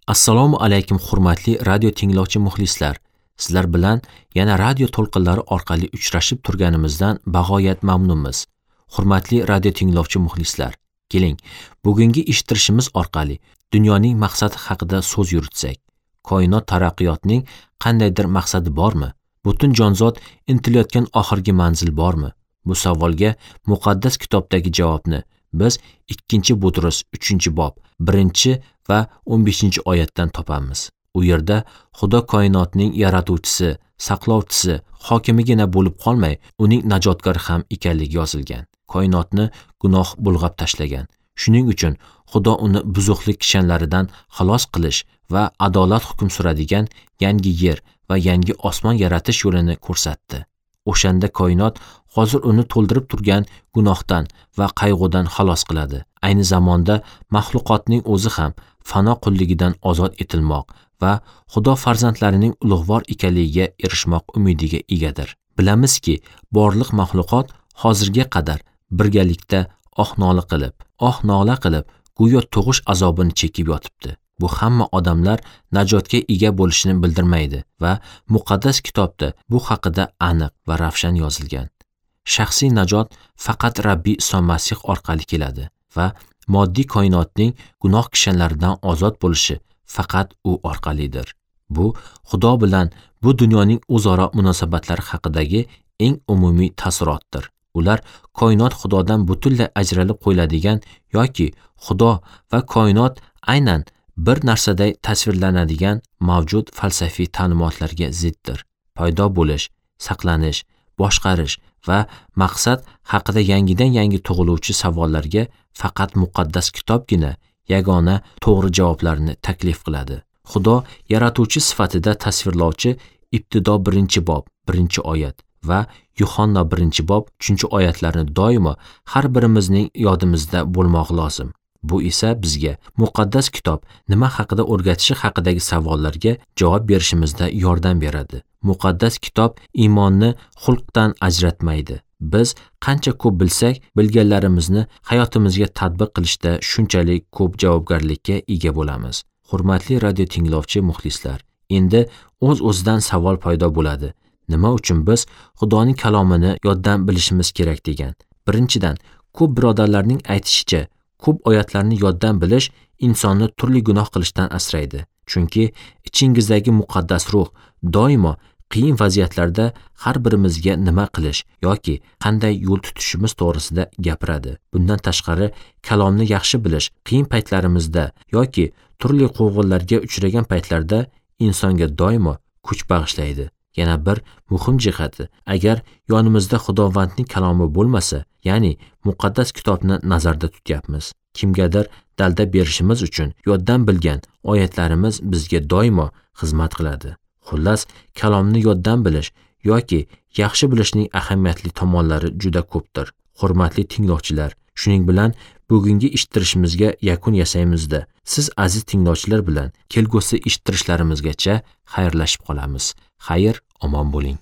Assalomu alaykum hurmatli radio tinglovchi muxlislar. Sizlar bilan yana radio to'lqinlari orqali uchrashib turganimizdan bag'oyat mamnunmiz. Hurmatli radio tinglovchi muxlislar, keling, bugungi eshittirishimiz orqali dunyoning maqsadi haqida so'z yuritsak. Koinot taraqqiyotining qandaydir maqsadi bormi? Butun jonzot intilayotgan oxirgi manzil bormi? Bu savolga muqaddas kitobdagi javobni biz 2-Butrus 3-bob 1 va 15-oyatdan topamiz. U yerda Xudo koinotning yaratuvchisi, saqlovchisi, hokimigina bo'lib qolmay, uning najotkori ham ekanligi yozilgan. Koinotni gunoh bulg'ab tashlagan. Shuning uchun Xudo uni buzuqlik kishanlaridan xalos qilish va adolat hukm suradigan yangi yer va yangi osmon yaratish yo'lini ko'rsatdi. O'shanda koinot hozir uni to'ldirib turgan gunohdan va qayg'udan xalos qiladi. Ayni zamonda maxluqotning o'zi ham fano qulligidan ozod etilmoq va Xudo farzandlarining ulug'vor ekanligiga erishmoq umidiga egadir. Bilamizki, borliq maxluqot hozirga qadar birgalikda oh-nola qilib, go'yo tug'ish azobini chekib yotibdi. Bu hamma odamlar najotga ega bo'lishini bildirmaydi va muqaddas kitobda bu haqida aniq va ravshan yozilgan. Shaxsiy najot faqat Rabbiy Iso Masih orqali keladi va moddiy koinotning gunoh kishanlaridan ozod bo'lishi faqat u orqalidir. Bu Xudo bilan bu dunyoning o'zaro munosabatlari haqidagi eng umumiy taassurotdir. Ular koinot Xudodan butunlay ajralib qo'yiladigan yoki Xudo va koinot aynan bir narsaday tasvirlanadigan mavjud falsafiy ta'limotlarga ziddir. Paydo bo'lish, saqlanish, boshqarish va maqsad haqida yangidan-yangi tug'iluvchi savollarga faqat muqaddas kitobgina yagona to'g'ri javoblarni taklif qiladi. Xudo yaratuvchi sifatida tasvirlovchi Ibtido 1-bob 1-oyat va Yuhanna 1-bob 3-oyatlarni doimo har birimizning yodimizda bo'lmog'i lozim. Bu esa bizga muqaddas kitob nima haqida o'rgatishi haqidagi savollarga javob berishimizda yordam beradi. Muqaddas kitob iymonni xulqdan ajratmaydi. Biz qancha ko'p bilsak, bilganlarimizni hayotimizga tatbiq qilishda shunchalik ko'p javobgarlikka ega bo'lamiz. Hurmatli radio tinglovchi muxlislar, endi o'z-o'zidan savol paydo bo'ladi. Nima uchun biz Xudoning kalomini yoddan bilishimiz kerak degan? Birinchidan, ko'p birodarlarning aytishicha, ko'p oyatlarni yoddan bilish insonni turli gunoh qilishdan asraydi. Chunki ichingizdagi muqaddas ruh doimo qiyin vaziyatlarda har birimizga nima qilish yoki qanday yo'l tutishimiz to'g'risida gapiradi. Bundan tashqari, kalomni yaxshi bilish qiyin paytlarimizda yoki turli quvg'inlarga uchragan paytlarda insonga doimo kuch bag'ishlaydi. Yana bir muhim jihati, agar yonimizda Xudovandning kalomi bo'lmasa, ya'ni muqaddas kitobni nazarda tutyapmiz. Kimgadir dalda berishimiz uchun yoddan bilgan oyatlarimiz bizga doimo xizmat qiladi. Xullas, kalomni yoddan bilish yoki yaxshi bilishning ahamiyatli tomonlari juda ko'pdir. Hurmatli tinglovchilar, shuning bilan bugungi eshittirishimizga yakun yasaymizda. Siz aziz tinglovchilar bilan kelgusi eshittirishlarimizgacha xayrlashib qolamiz. Xayr, omon bo'ling.